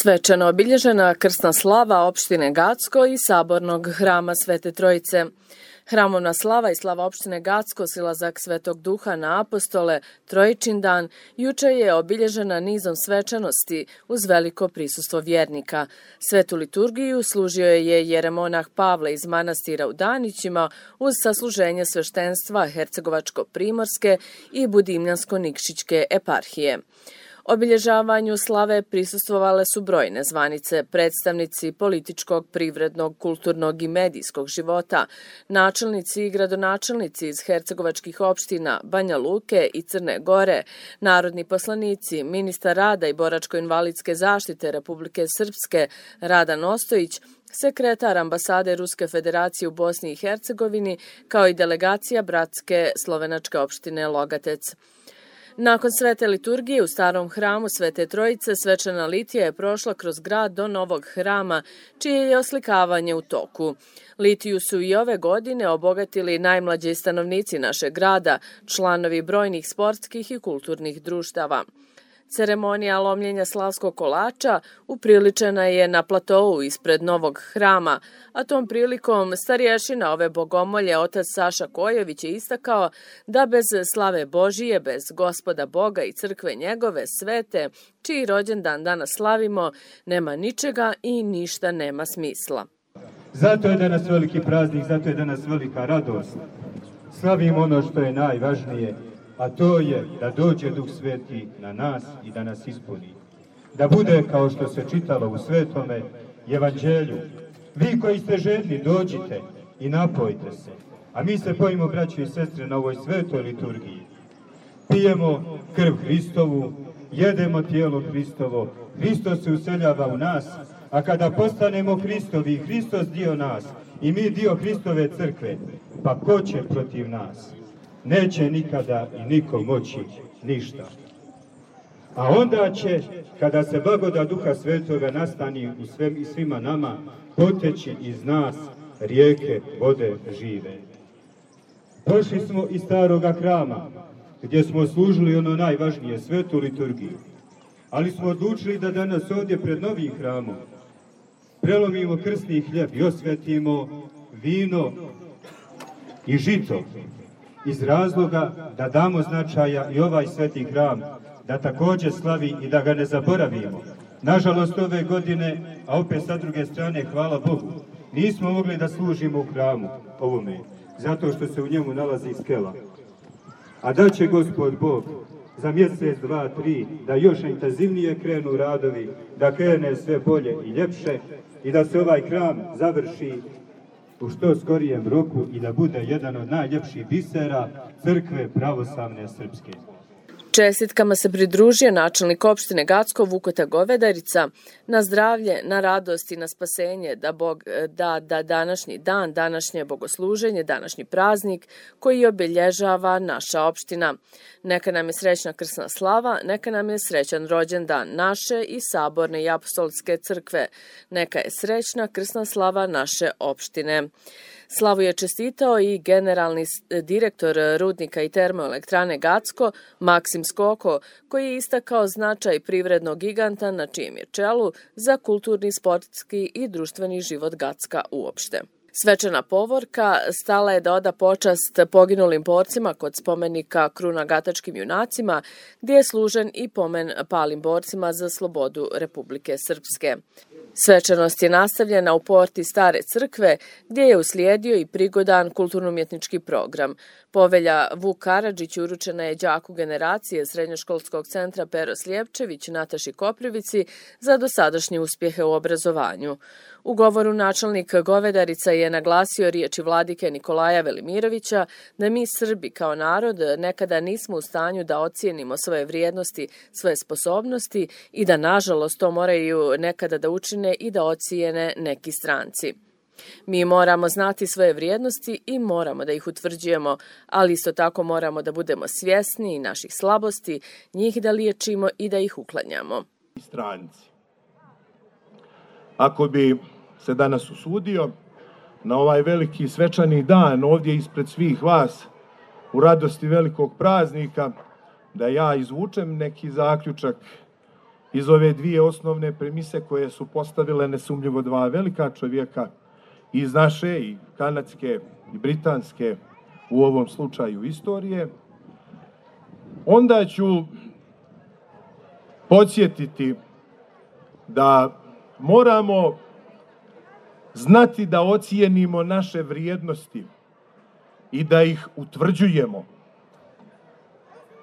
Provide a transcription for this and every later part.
Svečano obilježena krsna slava opštine Gacko i sabornog hrama Svete Trojice. Hramovna slava i slava opštine Gacko, silazak Svetog Duha na apostole, Trojičin dan, juče je obilježena nizom svečanosti uz veliko prisustvo vjernika. Svetu liturgiju služio je jeremonah Pavle iz manastira u Danićima uz sasluženje sveštenstva Hercegovačko-primorske i Budimljansko-Nikšićke eparhije. Obilježavanju slave prisustvovale su brojne zvanice, predstavnici političkog, privrednog, kulturnog i medijskog života, načelnici i gradonačelnici iz hercegovačkih opština Banja Luke i Crne Gore, narodni poslanici, ministar rada i boračko-invalidske zaštite Republike Srpske Radan Ostojić, sekretar ambasade Ruske federacije u Bosni i Hercegovini, kao i delegacija bratske slovenačke opštine Logatec. Nakon svete liturgije u starom hramu Svete Trojice, svečana litija je prošla kroz grad do novog hrama, čije je oslikavanje u toku. Litiju su i ove godine obogatili najmlađi stanovnici našeg grada, članovi brojnih sportskih i kulturnih društava. Ceremonija lomljenja slavskog kolača upriličena je na platou ispred novog hrama, a tom prilikom starješina ove bogomolje otac Saša Kojović je istakao da bez slave Božije, bez Gospoda Boga i crkve njegove svete, čiji rođendan danas slavimo, nema ničega i ništa nema smisla. Zato je danas veliki praznik, zato je danas velika radost. Slavimo ono što je najvažnije, a to je da dođe Duh Sveti na nas i da nas ispuni. Da bude kao što se čitalo u Svetome Evanđelju. Vi koji ste žedni, dođite i napojte se. A mi se pojimo, braći i sestre, na ovoj svetoj liturgiji. Pijemo krv Hristovu, jedemo tijelo Hristovo, Hristos se useljava u nas, a kada postanemo Hristovi, Hristos dio nas i mi dio Hristove crkve, pa ko će protiv nas? Neće nikada i niko moći ništa. A onda će, kada se blagodat Duha Svetoga nastani u svima nama, poteći iz nas rijeke vode žive. Došli smo iz staroga hrama, gdje smo služili ono najvažnije, svetu liturgiju. Ali smo odlučili da danas ovdje pred novim hramom prelomimo krsni hljeb i osvetimo vino i žito, iz razloga da damo značaja i ovaj sveti hram, da također slavi i da ga ne zaboravimo. Nažalost, ove godine, a opet sa druge strane, hvala Bogu, nismo mogli da služimo u hramu ovome, zato što se u njemu nalazi skela. A da će Gospod Bog za mjesec, 2, 3, da još intenzivnije krenu radovi, da krene sve bolje i ljepše i da se ovaj hram završi u što skorijem roku i da bude jedan od najljepših bisera crkve pravoslavne srpske. Čestitkama se pridružio načelnik opštine Gacko Vukota Govedarica, na zdravlje, na radost i na spasenje, da Bog da današnji dan, današnje bogosluženje, današnji praznik koji obilježava naša opština. Neka nam je srećna krsna slava, neka nam je srećan rođendan naše i saborne i apostolske crkve, neka je srećna krsna slava naše opštine. Slavu je čestitao i generalni direktor rudnika i termoelektrane Gacko, Maksim Skoko, koji je istakao značaj privrednog giganta na čijem je čelu za kulturni, sportski i društveni život Gacka uopšte. Svečana povorka stala je da oda počast poginulim borcima kod spomenika Kruna Gatačkim junacima, gdje je služen i pomen palim borcima za slobodu Republike Srpske. Svečanost je nastavljena u porti Stare crkve, gdje je uslijedio i prigodan kulturno-umjetnički program. Povelja Vuk Karadžić uručena je đaku generacije Srednjoškolskog centra Pero Slijepčević Nataši Koprivici za dosadašnje uspjehe u obrazovanju. U govoru načelnik Govedarica je naglasio riječi vladike Nikolaja Velimirovića da mi Srbi kao narod nekada nismo u stanju da ocijenimo svoje vrijednosti, svoje sposobnosti i da nažalost to moraju nekada da učine i da ocijene neki stranci. Mi moramo znati svoje vrijednosti i moramo da ih utvrđujemo, ali isto tako moramo da budemo svjesni naših slabosti, njih da liječimo i da ih uklanjamo. Stranci. Ako bi se danas usudio na ovaj veliki svečani dan ovdje ispred svih vas u radosti velikog praznika da ja izvučem neki zaključak iz ove dvije osnovne premise koje su postavile nesumnjivo dva velika čovjeka iz naše i kanadske i britanske, u ovom slučaju istorije, onda ću podsjetiti da moramo znati da ocijenimo naše vrijednosti i da ih utvrđujemo,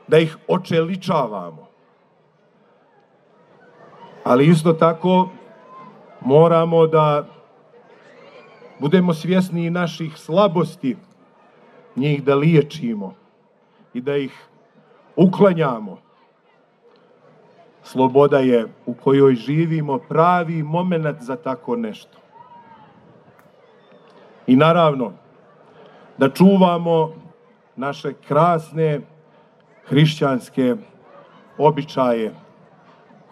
da ih očeličavamo. Ali isto tako moramo da budemo svjesni i naših slabosti, njih da liječimo i da ih uklanjamo. Sloboda je u kojoj živimo pravi moment za tako nešto. I naravno, da čuvamo naše krasne hrišćanske običaje,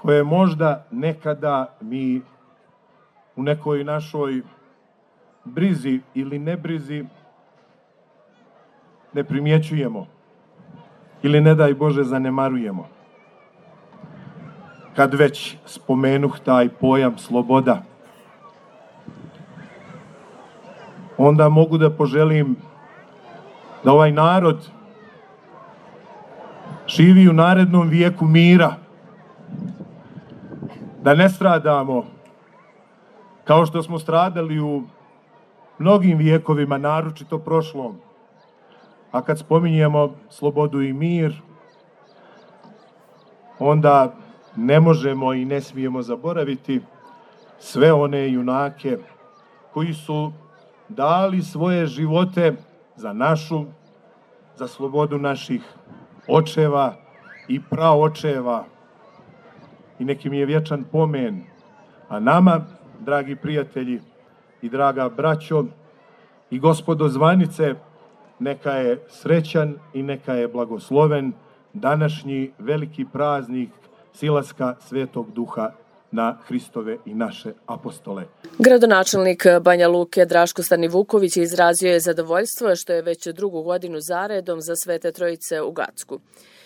koje možda nekada mi u nekoj našoj brizi ili nebrizi ne primjećujemo ili ne daj Bože zanemarujemo. Kad već spomenuh taj pojam sloboda, onda mogu da poželim da ovaj narod živi u narednom vijeku mira, da ne stradamo kao što smo stradali u mnogim vijekovima, naročito prošlom. A kad spominjemo slobodu i mir, onda ne možemo i ne smijemo zaboraviti sve one junake koji su dali svoje živote za našu, za slobodu naših očeva i praočeva. I neki mi je vječan pomen. A nama, dragi prijatelji i draga braćo i gospodo zvanice, neka je srećan i neka je blagosloven današnji veliki praznik silaska Svetog Duha na Hristove i naše apostole. Gradonačelnik Banja Luke Draško Stanivuković izrazio je zadovoljstvo što je već drugu godinu zaredom za Svete Trojice u Gacku.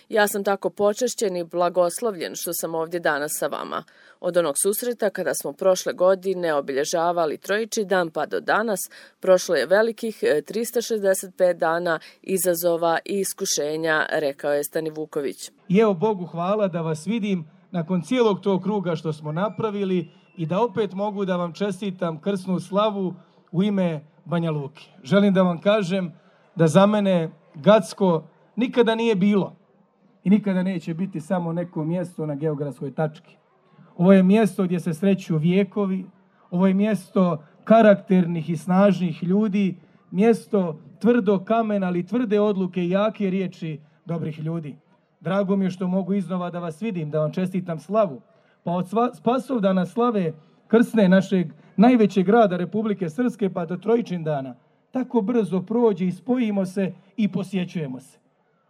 Ja sam tako počešćen i blagoslovljen što sam ovdje danas sa vama. Od onog susreta kada smo prošle godine obilježavali Trojični dan pa do danas, prošlo je velikih 365 dana izazova i iskušenja, rekao je Stanivuković. I evo Bogu hvala da vas vidim nakon cijelog tog kruga što smo napravili i da opet mogu da vam čestitam krsnu slavu u ime Banja Luke. Želim da vam kažem da za mene Gacko nikada nije bilo i nikada neće biti samo neko mjesto na geografskoj tački. Ovo je mjesto gdje se sreću vijekovi, ovo je mjesto karakternih i snažnih ljudi, mjesto tvrdo kamena, ali tvrde odluke i jake riječi dobrih ljudi. Drago mi je što mogu iznova da vas vidim, da vam čestitam slavu. Pa od Spasovdana slave krsne našeg najvećeg grada Republike Srpske pa do Trojičin dana, tako brzo prođe i spojimo se i posjećujemo se.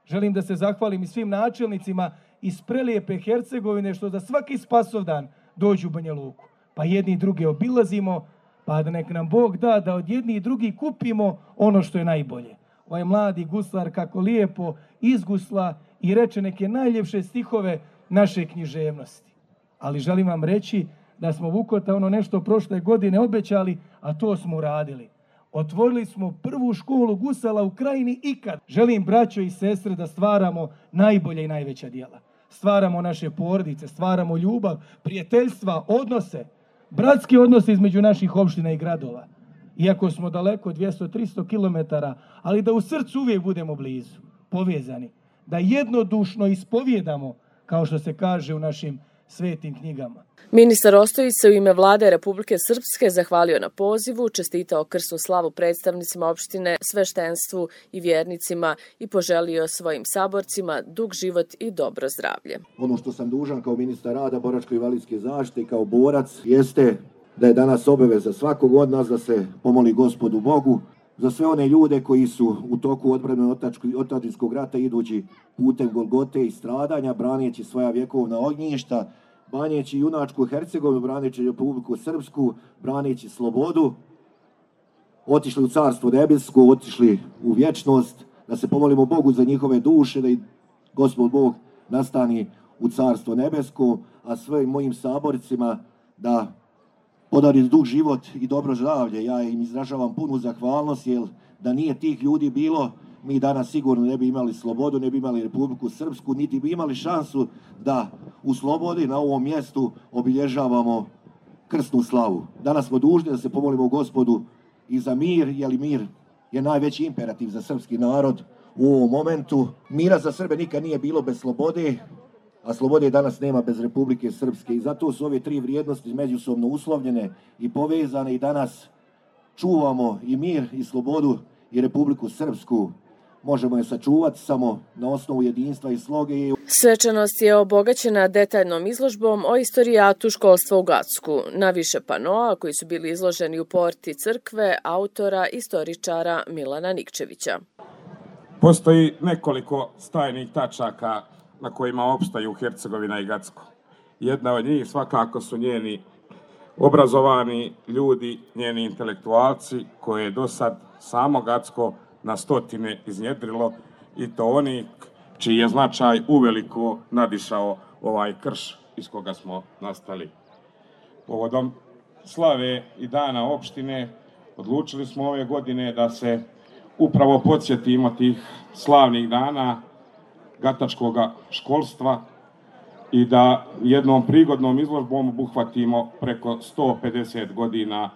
Želim da se zahvalim i svim načelnicima iz prelijepe Hercegovine što za svaki Spasovdan dođu u Banja Luku. Pa jedni i druge obilazimo, pa da nek nam Bog da od jedni i drugi kupimo ono što je najbolje. Ovaj mladi guslar kako lijepo izgusla i reče neke najljepše stihove naše književnosti. Ali želim vam reći da smo Vukota ono nešto prošle godine obećali, a to smo uradili. Otvorili smo prvu školu gusala u krajini ikad. Želim, braćo i sestre, da stvaramo najbolje i najveća djela. Stvaramo naše porodice, stvaramo ljubav, prijateljstva, odnose, bratske odnose između naših opština i gradova. Iako smo daleko 200-300 kilometara, ali da u srcu uvijek budemo blizu, povezani. Da jednodušno ispovjedamo, kao što se kaže u našim svetim knjigama. Ministar Ostojić se u ime Vlade Republike Srpske zahvalio na pozivu, čestitao krsnu slavu predstavnicima opštine, sveštenstvu i vjernicima i poželio svojim saborcima dug život i dobro zdravlje. Ono što sam dužan kao ministar rada, boračko-invalidske zaštite i kao borac jeste da je danas obaveza svakog od nas da se pomoli Gospodu Bogu za sve one ljude koji su u toku odbrane otadžbinskog rata idući putem Golgote i stradanja, braneći svoja vjekovna ognjišta, braneći junačku Hercegovinu, braneći Republiku Srpsku, braneći slobodu, otišli u Carstvo nebesko, otišli u vječnost, da se pomolimo Bogu za njihove duše, da i Gospod Bog nastani u Carstvo nebesko, a svojim mojim saborcima da podari dug život i dobro zdravlje. Ja im izražavam punu zahvalnost, jer da nije tih ljudi bilo, mi danas sigurno ne bi imali slobodu, ne bi imali Republiku Srpsku, niti bi imali šansu da u slobodi na ovom mjestu obilježavamo krsnu slavu. Danas smo dužni da se pomolimo Gospodu i za mir, jer mir je najveći imperativ za srpski narod u ovom momentu. Mira za Srbe nikad nije bilo bez slobode, a slobode danas nema bez Republike Srpske. I zato su ove tri vrijednosti međusobno uslovljene i povezane i danas čuvamo i mir i slobodu i Republiku Srpsku. Možemo je sačuvati samo na osnovu jedinstva i sloge. Svečanost je obogaćena detaljnom izložbom o istorijatu školstva u Gacku, na više panoa koji su bili izloženi u porti crkve autora istoričara Milana Nikčevića. Postoji nekoliko stajnih tačaka na kojima opstaju Hercegovina i Gacko. Jedna od njih svakako su njeni obrazovani ljudi, njeni intelektualci koje je do sad samo Gacko na stotine iznjedrilo, i to oni čiji je značaj uveliko nadišao ovaj krš iz koga smo nastali. Povodom slave i dana opštine odlučili smo ove godine da se upravo podsjetimo tih slavnih dana gatačkog školstva i da jednom prigodnom izložbom obuhvatimo preko 150 godina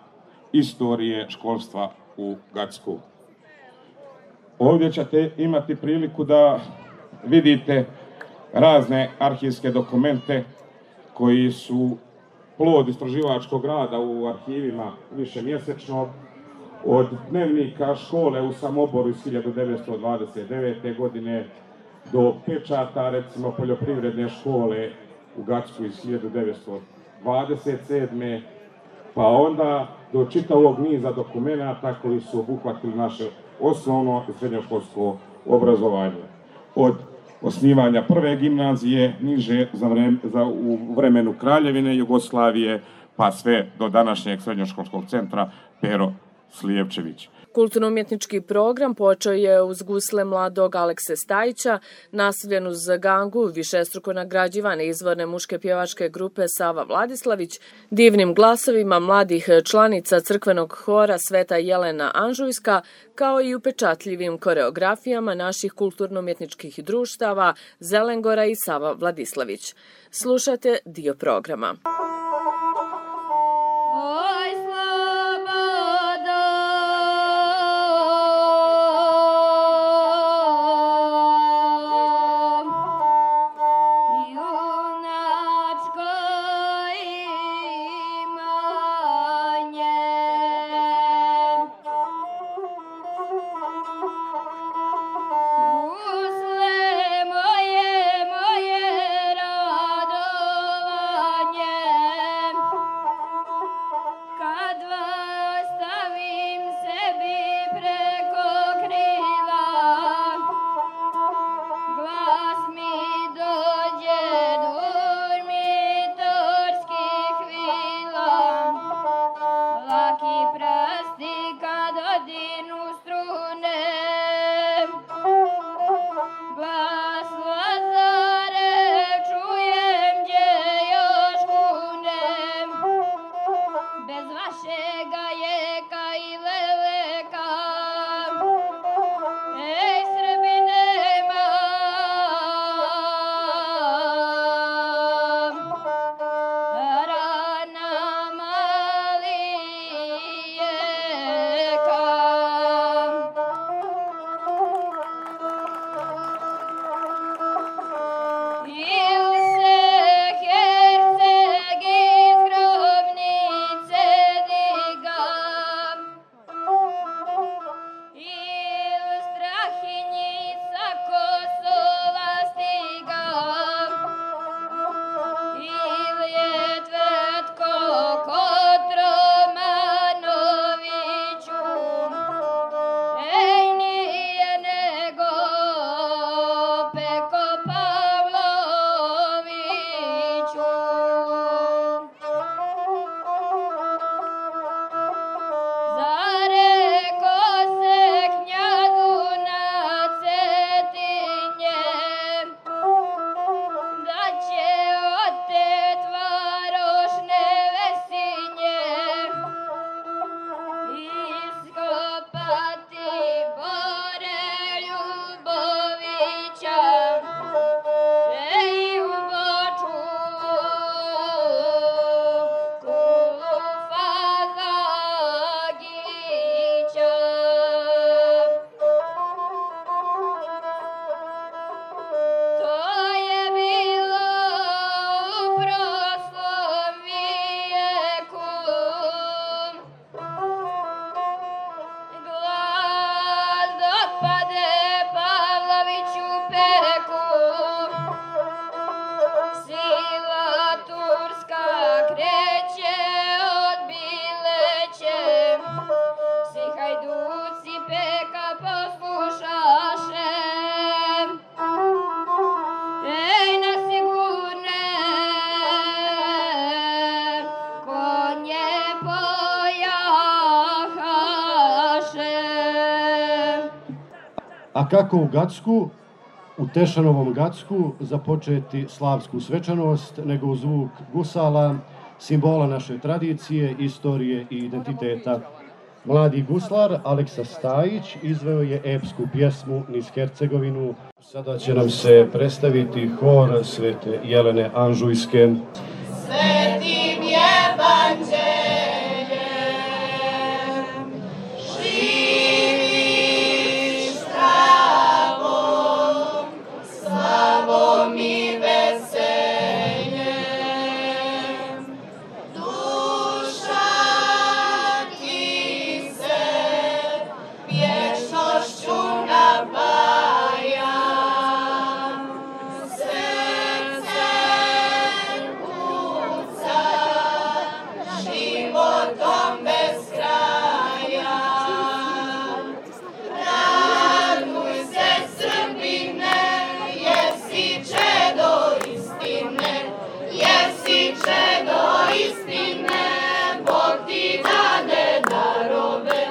istorije školstva u Gacku. Ovdje ćete imati priliku da vidite razne arhivske dokumente koji su plod istraživačkog rada u arhivima višemjesečno, od dnevnika škole u Samoboru iz 1929. godine do pečata, recimo, poljoprivredne škole u Gacku iz 1927. pa onda do čitavog niza dokumenata koji su obuhvatili naše osnovno i srednjoškolsko obrazovanje. Od osnivanja prve gimnazije niže u vremenu Kraljevine Jugoslavije pa sve do današnjeg srednjoškolskog centra Pero Slijepčević. Kulturno-umjetnički program počeo je uz gusle mladog Alekse Stajića, nastavljen uz gangu višestruko nagrađivane izvorne muške pjevačke grupe Sava Vladislavić, divnim glasovima mladih članica crkvenog hora Sveta Jelena Anžujska, kao i upečatljivim koreografijama naših kulturno-umjetničkih društava Zelengora i Sava Vladislavić. Slušate dio programa. Moje radovanje A kako u Gacku, u Tešanovom Gacku, započeti slavsku svečanost nego u zvuk gusala, simbola naše tradicije, istorije i identiteta. Mladi guslar Aleksa Stajić izveo je epsku pjesmu Niz Hercegovinu. Sada će nam se predstaviti hor Svete Jelene Anžujske. Svetim evanđeljem živiš zdravom, slavom i veseljem. Duša ti se vječnošću napaja, srce kuca životom bez kraja. Raduj se, Srbine, jer si čedo istine, jer si čedo istine. Bog ti dade darove,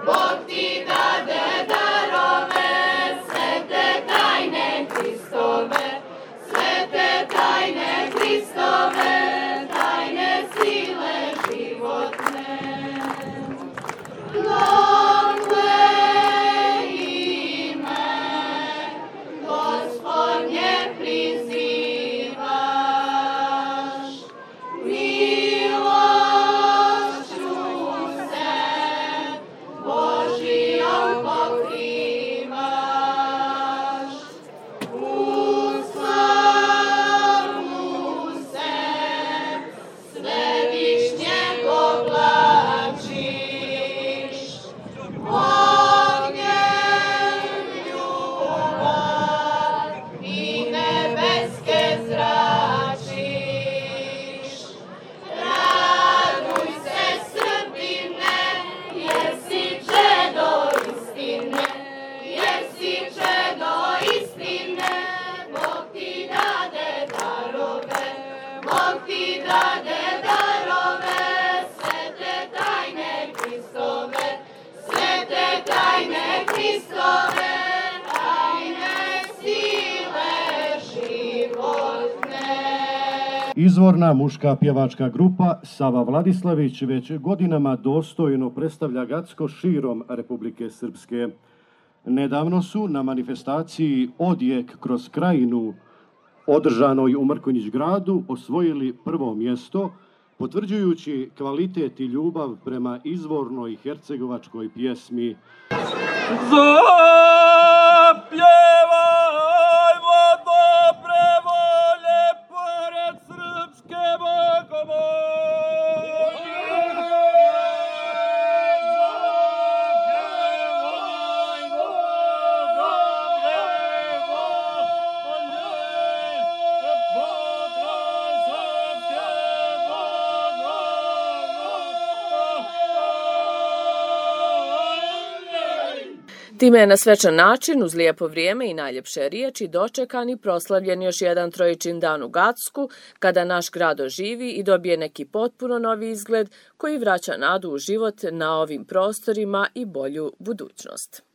Bog ti dade darove, svete tajne Hristove, svete tajne Hristove, tajne sile životne. Dokle ime Gospodnje prizivaš, milošću se Božijom pokrivaš, u slavu se svevišnjeg oblačiš, ognjem ljubav i nebeske zračiš. Raduj se, Srbine, jer si čedo istine, jer si čedo istine. Bog ti dade darove, Bog ti dade darove, svete tajne Hristove, svete tajne Hristove, tajne sile životne. Izvorna muška pjevačka grupa Sava Vladislavić već godinama dostojno predstavlja Gacko širom Republike Srpske. Nedavno su na manifestaciji Odjek kroz krajinu, održanoj u Mrkonjić gradu, osvojili prvo mjesto, potvrđujući kvalitet i ljubav prema izvornoj hercegovačkoj pjesmi. Zapjevajmo dobre volje pored srpske Time je na svečan način, uz lijepo vrijeme i najljepše riječi, dočekan i proslavljen još jedan trojičin dan u Gacku, kada naš grad oživi i dobije neki potpuno novi izgled koji vraća nadu u život na ovim prostorima i bolju budućnost.